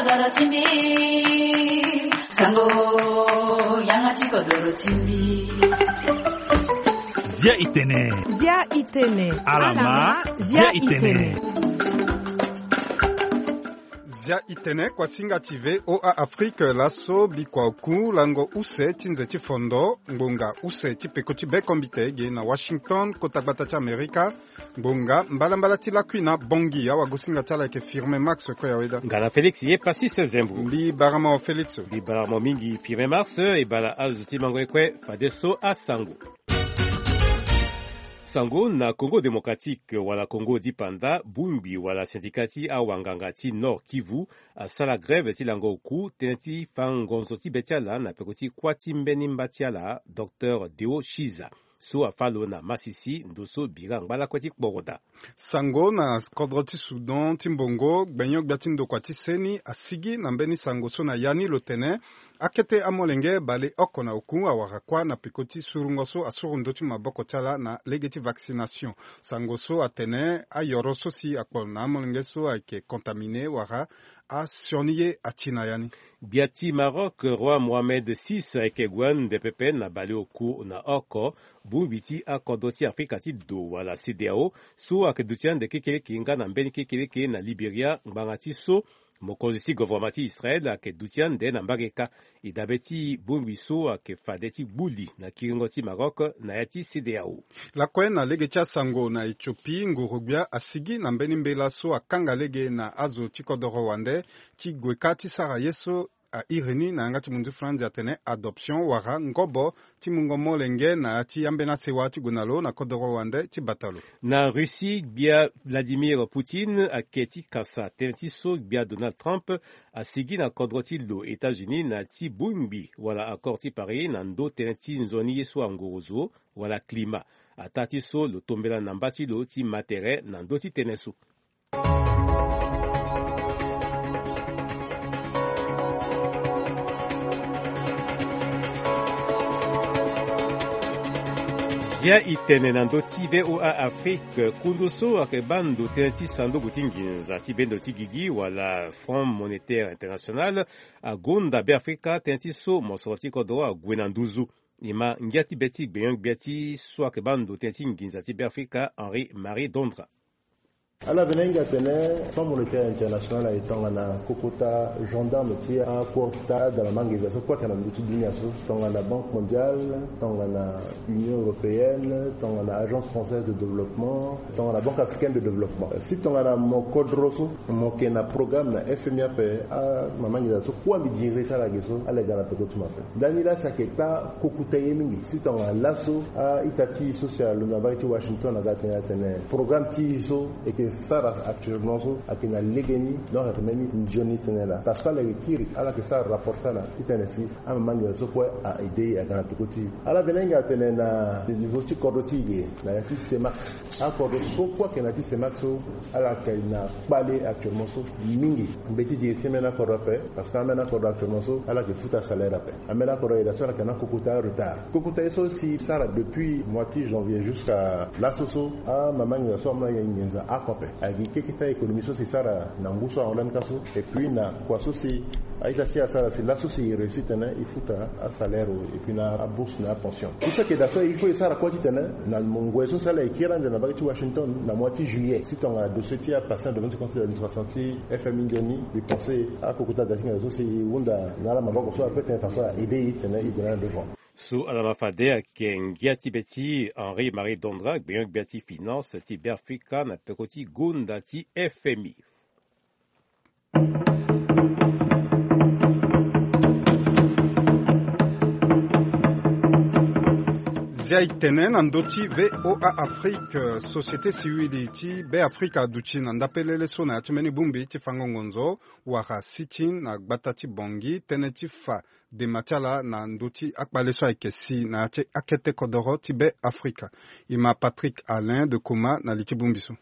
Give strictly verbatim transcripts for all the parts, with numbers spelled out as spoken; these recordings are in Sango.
Kodoro ti mbi, sango, yanga ti kodoro ti mbi. Zia itene. Zia itene. Alama, zia itene. Zia itene, kuasinga ti V O A Afrique, laso bikua oku lango use ti nze ti fondo, ngbonga use ti peko ti bekombite ge na Washington, kota gbata ti Amerika. Ngbonga mbalambala ti lakui na Bangui, awagosinga ti ala ayeke Firmin Max Koyaweda. Nga na Félix ye Passis Zembo. Mbi bara mo Félix. Mbi bara mo mingi Firmin Max, e bara azo ti mango ye kue fadeso asango. Sango na Congo Démocratique wala Congo dipanda, bongbi wala syndicat ti awanganga ti Nord Kivu asara grève ti lango oku tënë ti fa ngonzo ti be ti ala na peko ti kuâ ti mbeni mba ti ala, Docteur Deo Chiza. So afa lo na masisi ndo so bira ngba lakue ti kporoda. Sango na kodro ti Soudan ti mbongo, gbenyo-gbia ti ndokua ti seni asigi na mbeni sango so na ya ni lo tene akete amolenge baleoko na oku awara kuâ na peko ti surungo so asuru ndö ti maboko ti ala na lege ti vaccination. Sango so atene ayoro so si akpo na amolenge so ayeke contaminé wala asioni ye ati na ya ni. Gbia ti Maroc, roi Mohamed six ayeke gue ande pepe na baleoku na oko. Bongbi ti akodro ti Afrika ti do wala CEDEAO so ayeke duti ande kekeleke nga na mbeni kekeleke na Liberia ngbanga ti so mokonzi ti govoroma ti Israel ayeke duti ande na mbage kâ. E dabe ti bongbi so ayeke fade ti gbuli na kiringo ti Maroc na ya ti CEDEAO. Lakue na lege ti asango na Éthiopie, nguru-gbia asigi na mbeni mbela so akanga lege na azo ti kodoro wande ti gue kâ ti sara ye so a iri ni na yanga ti munzu franzi atene adoption wala ngobo ti mungo molenge na ya ti ambeni asewa ti gue na lo na kodoro wande ti bata lo. Na Russie, gbia Vladimir Poutine ayeke ti kasa tënë ti so gbia Donald Trump asigi na kodro ti lo États-Unis na ti bongbi wala accord ti Paris na ndö tënë ti nzoni ye so angorozo wala climat. Ataa ti so lo tombela na mba ti lo ti ma tere na ndö ti tënë so. Zia itene na ndö ti V O A Afrique, kundu so ayeke baa ndo tënë ti sanduku ti nginza ti bendo ti gigi wala Fonds Monétaire International agonda Beafrika tënë ti so mosoro ti kodro ague na nduzu. E ma ngia ti be ti gbenyo-gbia ti so ayeke baa ndo tënë ti nginza ti Beafrika, Henri Marie Dondra. Ala vene hinga atene Fonds Monétaire International aye tongana kokota gendarme ti akota adala ma nginza so kue ayeke na ndö ti dunia so, tongana Banque Mondiale, tongana Union Européenne, tongana Agence Française de Développement, tongana Banque Africaine de Développement. Si tongana mo kodro so mo yeke na programme na F M I ape, amama nginza so kue mbi diri ti ala ge so ala ga na peko ti mo ape. Ndani laa si ayeke taa kokuta ye mingi. Si tongana laso a-ita ti e so si alondo na mbage ti Washington aga atene atene programme ti e so e yeke sara actuellement so ayeke na legeni, donc ayeke mbeni nzoni tënë laa. Parce que ala yeke kiri ala yeke sara rapport ti ala titene si amama nginza so kue a aidé e aga na peko ti e. Ala vene hinga atene na niveau ti kodro ti e ge na ya ti CEMAC. Akodro so kue ayeke na ya ti CEMAC so ala yeke na kpale actuellement so mingi. Mbeti diri ti ambeni akodro ape, parce que ambeni akodro actuellement so ala yeke futa salaire ape. Ambeni akodro ayeke daa so ala yeke na kokota retard. Kokota ye so si sara depuis mois ti janvier jusqu'à laso so, amama nginza so amolenge nginza oko ape. Ayeke keke ti économie so si sara na ngu so ahon lani ka so. Et puis na kua so si a-ita ti e asara si laso si e réussi tene e futa asalaire et puis na abourse na apension. Tout ça ke daa so il faut e sara kue titene na ngoi so si ala yeke kiri ande na mbage ti Washington na mois ti juillet, si tongana dossier ti apatient de vingt-cinq ans ti administration ti F M I nzoni, mbi pense akokota da ti nginza so si e hunda na ala maboko so ape tene façon a aidé e tene e gue na ala devant. So ala ma fade ayeke ngia ti be ti Henri Marie Dondra, gbenyo-gbia ti finance ti Beafrika na peko ti gonda ti F M I. Zia e tene na ndö ti V O A Afrique, société civile ti Beafrika aduti na ndapelele so na ya ti mbeni bongbi ti fango ngonzo wala sit-in na gbata ti Bangui tënë ti fa dema ti ala na ndö ti akpale so ayeke si na ya ti akete kodoro ti Beafrika. E ma Patrick Alain de Kouma na li ti bongbi so.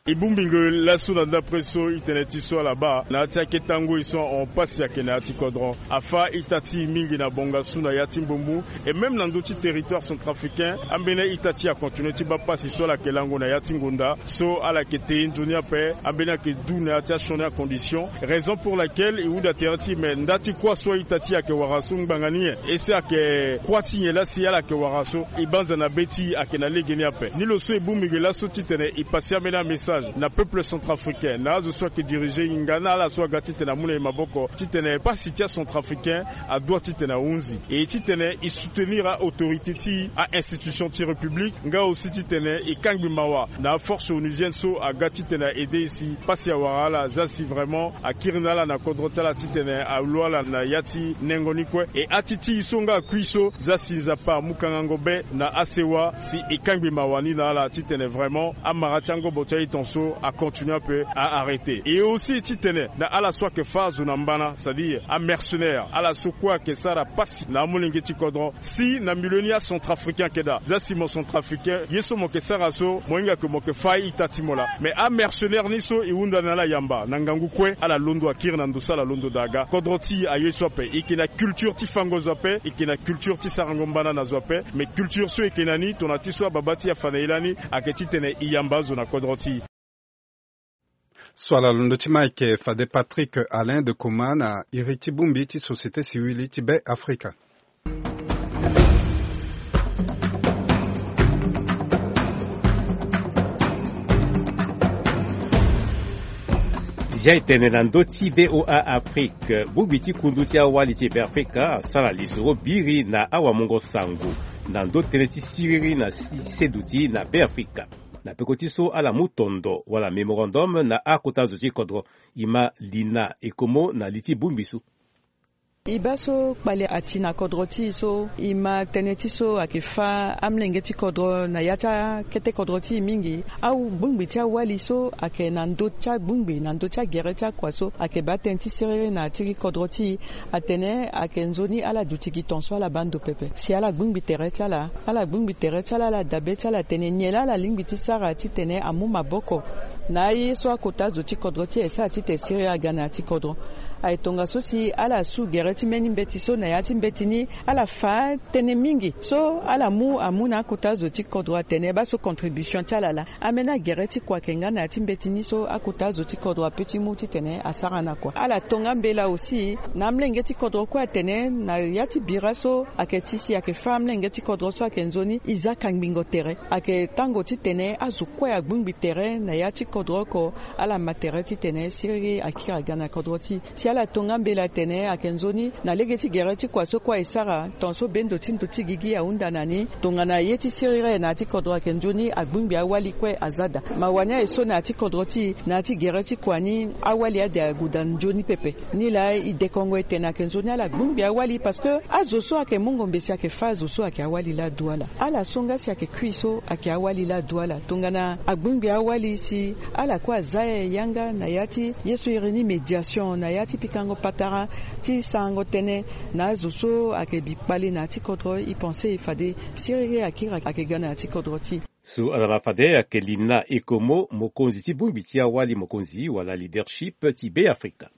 E bongbi nge laso na ndapre so e tene ti so ala baa na ya ti akete angoi so ahon pasi ayeke na ya ti kodro. Afâ ita ti e mingi na bongasu na ya ti mbombu. Et même na ndö ti territoire centrafricain, ambeni a-ita ti e acontinuer ti baa pasi so ala yeke lango na ya ti ngonda so ala yeke te nzoni ape. Ambeni ayeke du na ya ti asioni acondition. Raison pour laquelle e hunda tere ti e, mais nda ti kuâ so a-ita ti e ayeke wara so ngbanga ni nyen? Ese ayeke kuâ ti nyen laa si ala yeke wara so? E banza na be ti e ayeke na lege ni ape. Ni lo so e bongbi nge laso titene e pase ambeni amessage na peuple centrafricain, na azo so ayeke diriger e nga na ala so aga titene amu na e maboko titene pasi ti acentrafricain adoit titene ahunzi. E titene e soutenir a-autorité ti e, a-institution ti république, nga aussi titene e kangbi mawa na aforce onusienne so aga titene a-aider e si pasi awara ala, za si vraiment akiri na ala na kodro ti ala titene alo ala na ya ti nengo ni kue. E ati ti e so nga akui so, za si Nzapa amu kangango be na asewa si e kangbi mawa ni na ala titene vraiment amara ti angobo ti a-iton so acontinuer ape, a-arrêter. E aussi titene na ala so ayeke fâ azo na mbana, c'est-à-dire amercenaire, ala so kue ayeke sara pasi na amolenge ti kodro, si na milieu ni acentrafricain ayeke daa, za si mo centrafricain, ye so mo yeke sara so, mo hinga ke mo yeke fâ a-ita ti mo laa. Mais amercenaire ni so e hunda na ala yamba na ngangu kue, ala londo akiri na ndo so ala londo daa ga. Kodro ti e aye so ape, e yeke na culture ti fango zo ape, e yeke na culture ti sarango mbana na zo ape. Mais culture so e yeke na ni, tongana ti so ababa ti e afa na e lani, ayeke titene e yamba azo na kodro ti e. So ala londo ti ma ayeke fade Patrick Alain de Coma na iri ti bongbi ti société civile ti Be Afrika. Zia e tene na ndö ti V O A Afrique, bongbi ti kundu ti awali ti Be Afrika asara lisoro biri na awamungo sango na ndö tënë ti siriri na si-, seduti na Be Afrika. Na peko ti so ala mu tondo wala mémorandum na akota zo ti kodro, e ma Lina Ekomo na li ti bongbi so. E baa so kpale ati na kodro ti e so, e ma tënë ti so ayeke fâ amolenge ti kodro na ya ti akete kodro ti e mingi. Abongbi ti awali so ayeke na ndö ti abongbi, na ndö ti agere ti akua so ayeke baa tënë ti siriri na ya ti kodro ti e. Atene ayeke nzoni ala duti gi ton so ala baa ndo pepe. Si ala gbingbi tere ti ala, ala gbingbi tere ti ala, ala dabe ti ala atene nyen laa ala lingbi ti sara titene amu maboko na aye so akota zo ti kodro ti e sara titene siriri aga na ya ti kodro. Aye tongaso si ala su gere ti mbeni mbeti so na ya ti mbeti ni, ala fâ tënë mingi so ala mu amu na akota zo ti kodro atene baa so contribution ti ala laa. Ambeni agere ti kua ayeke nga na ya ti mbeti ni so akota azo ti kodro ape ti mu titene asara na kua. Ala tonga mbela aussi na amolenge ti kodro kue atene na ya ti bira so ayeke ti si ayeke fâ amolenge ti kodro so ayeke nzoni e za kangbingo tere. Ayeke tango titene azo kue agbingbi tere na ya ti kodro oko, ala ma tere titene siriri akiri aga na kodro ti e. Si ala tonga mbela atene ayeke nzoni na lege ti gere ti kua so kue e sara, tongaso bendo ti ndo ti gigi ahunda na ni. Tongana ye ti siriri na ya ti kodro ayeke nzoni, agbingbi awali kue aza daa. Mawa ni aye so na ya ti kodro ti e, na ya ti gere ti kua ni, awali ade ague daa nzoni pepe. Nilaa e dekongo e tene ayeke nzoni ala gbingbi awali parce que azo so ayeke mungo mbeti ayeke fâ azo so ayeke awali laa adu ala. Ala so nga si ayeke kui so ayeke awali laa adu ala. Tongana agbingbi awali si ala kue aza yanga na ya ti ye so iri ni médiation, na ya ti pikango patara ti sarango tënë na azo so ayeke bi kpale na ya ti kodro, e pense fade siriri akiri ayeke ga na ya ti kodro ti e. So ala ma fade ayeke Lina Ekomo, mokonzi ti bongbi ti awali mokonzi wala leadership ti Be Afrika.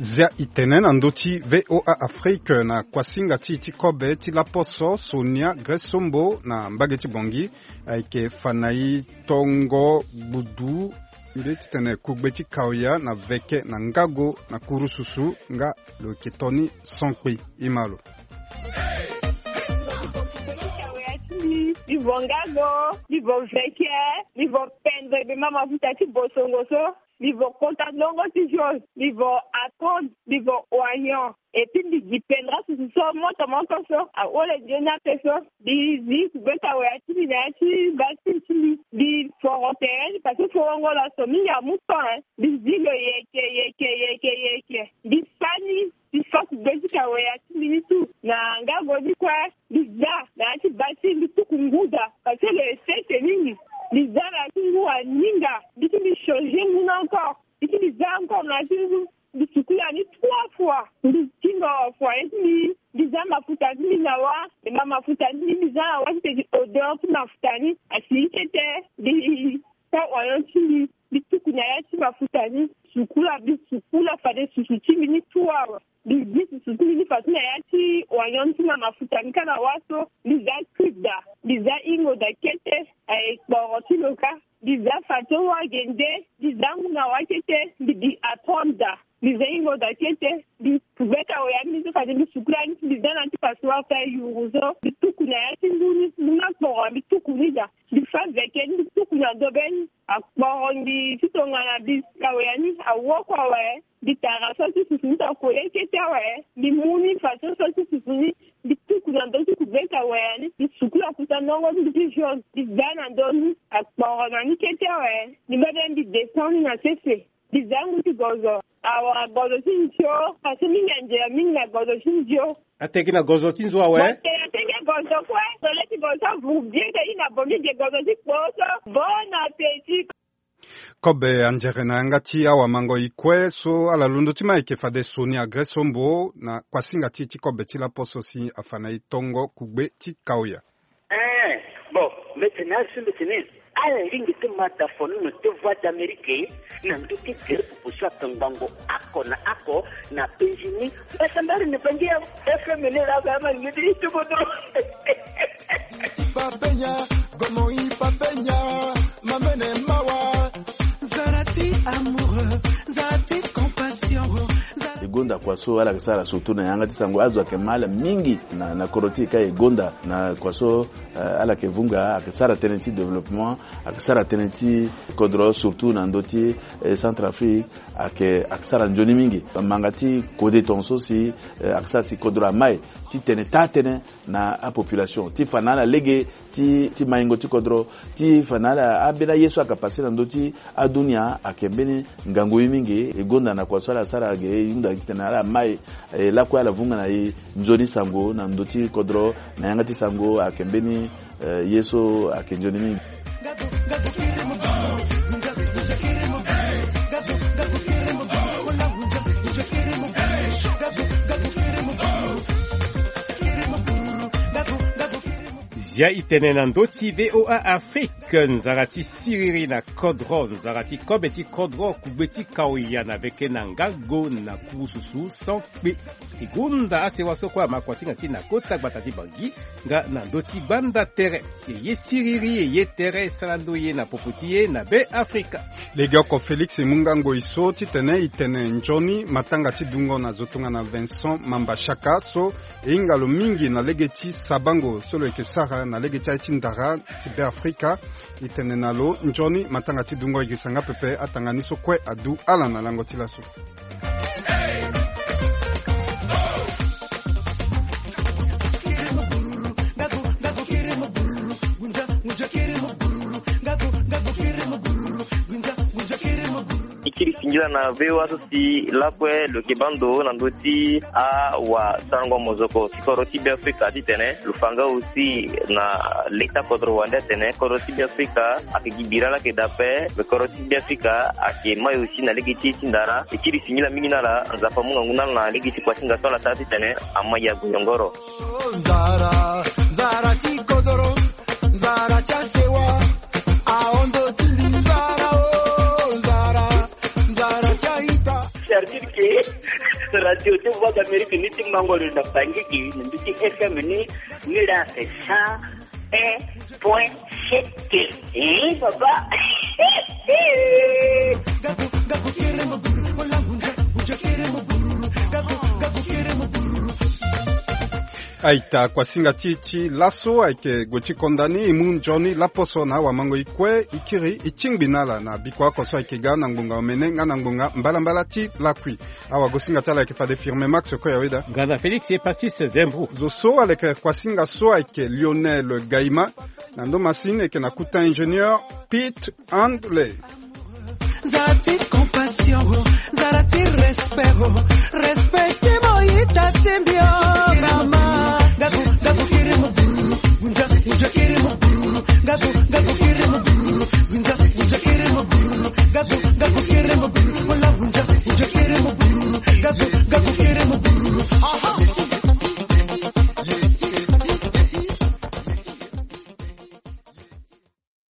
Zia e tene na ndö ti V O A Afrique na kuasinga ti e ti kobe ti laposo Sonia Grace Sombo na mbage ti Bangui. Ayeke fa na e tongo gbudu nde titene kugbe ti kaoya na veke na ngago na kurususu nga lo yeke toni sonkpe. E ma lo. Mbi vo ngago, mbi vo veke, mbi vo pendre be ma mafuta ti bosongo so, mbi vo kota ndongo ti jaune, mbi vo attendre, mbi vo oignon. Et puis mbi gi pendra susu so moto moto so ahole nzoni ape so. Mbi zi kugbe ti awe ya ti mbi na ya ti basi ti mbi. Mbi foro tere ni parce que forongo laso mingi amu temps, hein. Mbi zi lo yeke yeke yeke yeke. Mbi sani, mbi fa kugbe ti awe ya ti mbi ni tu na ngago ni kue. Mbi za na ya ti basi mbi tuku ngu daa. Parce que le sese mingi, mbi za na ya ti ngu aninga, mbi ti mbi changer ngu ni encore. Mbi ti mbi za encore na ya ti ngu, mbi sukula ni trois fois. Mbi ti nga wa fois ye ti mbi, mbi za mafuta ti mbi na wa. E ma mafuta ti mbi, mbi za na wa ti tene odeur ti mafuta ni asi kete. Mbi sa oignon ti mbi, mbi tuku na ya ti mafuta ni. Sukula, mbi sukula fade susu ti mbi ni trois fois. Mbi gi susu ti mbi ni fadeso na ya ti oignon ti mbi na mafuta ni kâ na wa so. Mbi za cube daa, mbi za hingo daa kete. Aye kporo ti lo kâ. Mbi za fadeso wa gende, mbi za ngu na wa kete, mbi gi atonde daa. Mbi za hingo daa kete, mbi gbeka waya ni so fade mbi sukula ni, mbi za na ya ti passoire ti ayuru so, mbi tuku na ya ti ngu ni, ngu ni akporo, mbi tuku ni daa. Mbi fa veke ni, mbi tuku na dobeni. Akporo mbi ti tongana mbi ka waya ni, awoko awe. Mbi tara so ti susu ni, ta kole kete awe. Mbi mu ni fadeso so ti susu ni, mbi tuku na ndö ti kubeta waya ni, mbi sukula kuta ndongo ti mbi ti jaune, mbi za na ndö ni, akporo na ni kete awe. Mbi mbebe mbi descend ni na sese. Mbi za ngu ti gozo. Awa gozo ti nzio, parce que mingi anzela mingi na gozo ti nzio. Ateki na gozo ti nzo awe. Bon, te ateki gozo kue, tole ti gozo ti avuru bien te i na bo mingi gozo ti kpo so. Bon appétit. Kobe anzere na yanga ti awamango e kue so ala londo ti ma ayeke fade sioni agre sombo na kuasinga ti e ti kobe ti laposo si afa na e tongo kugbe ti kaoya. Eh, bon, mbi tene azo mbi tene ala lingbi ti ma da fono na te Voix d'Amérique na ndö ti gere popo so atongbango oko na oko na penzi ni. Mbasambari na bangi ya F M N la ba ma ni ti tobodo. Papenya, gomo i papenya, mamene mawa. Zara ti amoureux, zara ti compassion, zara E gonda kua so ala yeke sara surtout na yanga ti sango, azo ayeke ma ala mingi na, na kodro ti e ka e gonda na kua so, eh, ala yeke vunga, ayeke sara tënë ti développement, ayeke sara tënë ti kodro surtout na ndö ti, eh, Centrafrique, ayeke, ayeke sara nzoni mingi. Manga ti kode tongaso si, eh, ayeke sara si kodro amai ti tene taa tënë na apopulation ti fa na ala lege ti, ti maingo ti kodro, ti fa na ala ambeni aye so ayeke pase na ndö ti adunia ayeke mbeni ngangu ye mingi. E gonda na kua so ala sara ge e hunda titene ala mai, eh, lakue ala vunga na e nzoni sango na ndö ti kodro na yanga ti sango ayeke mbeni, eh, ye so ayeke nzoni mingi. Zia e tene na ndö ti V O A Afrique, nzara ti siriri na kodro, nzara ti kobe ti kodro, kugbe ti kaoya na veke na ngago na kurususu sans kpe. E gonda asewa so kue ama kuasinga ti e na kota gbata ti Bangui nga na ndö ti gbanda tere. E ye siriri, e ye tere, e sara ndo ye na popo ti e na Be Afrika. Legeoko Félix e mu nga ngoi so titene e tene nzoni matanga ti dungo na zo tongana Vincent Mamba Chaka so e hinga lo mingi na lege ti sabango so lo yeke sara na lege ti aye ti ndara ti Be Afrika. E tene na lo nzoni matanga ti dungo. E girisa nga pepe atanga ni so kue adu ala na lango ti laso. E kiri singila na V O A so si lakue lo yeke baa ndo na ndö ti awasarango mozoko ti kodro ti Be Afrika titene lo fa nga aussi na leta kodro wande atene kodro ti Be Afrika ayeke gi bira laa ayeke daa ape, me kodro ti Be Afrika ayeke mai aussi na lege ti e ti ndara. E kiri singila mingi na ala, Nzapa amu ngangu na ala na lege ti kuasinga so ala sara titene amai ague yongoro. Nzara, nzara ti kodoro, nzara ti asewa, ahon ndo ti mbi nzara o, nzara, nzara ti a-ita. C'est-à-dire que radio ti Voix d'Amérique ni ti mango lo na Bangui gi na ndö ti F M ni, ni laa c'est cent un point sept. Eh, papa. Aita, kuasinga ti e ti laso ayeke gue ti konda ni. E mu nzoni laposo na awamango e kue, e kiri e tingbi na ala na bikua oko so ayeke ga na ngbonga omene nga na ngbonga mbalambala ti lakui. Awagosinga ti ala ayeke fade Firme Max Koyaweda. Nga na Félix Epasis Zembro. Zo so aleke kuasinga so ayeke Lionel Gaïma. Na ndo masini e yeke na kuta ingénieur Pete Handley. Nzara ti compassion, nzara ti respect, respect ti mo ita ti mbi o mama. Gabu, gabu.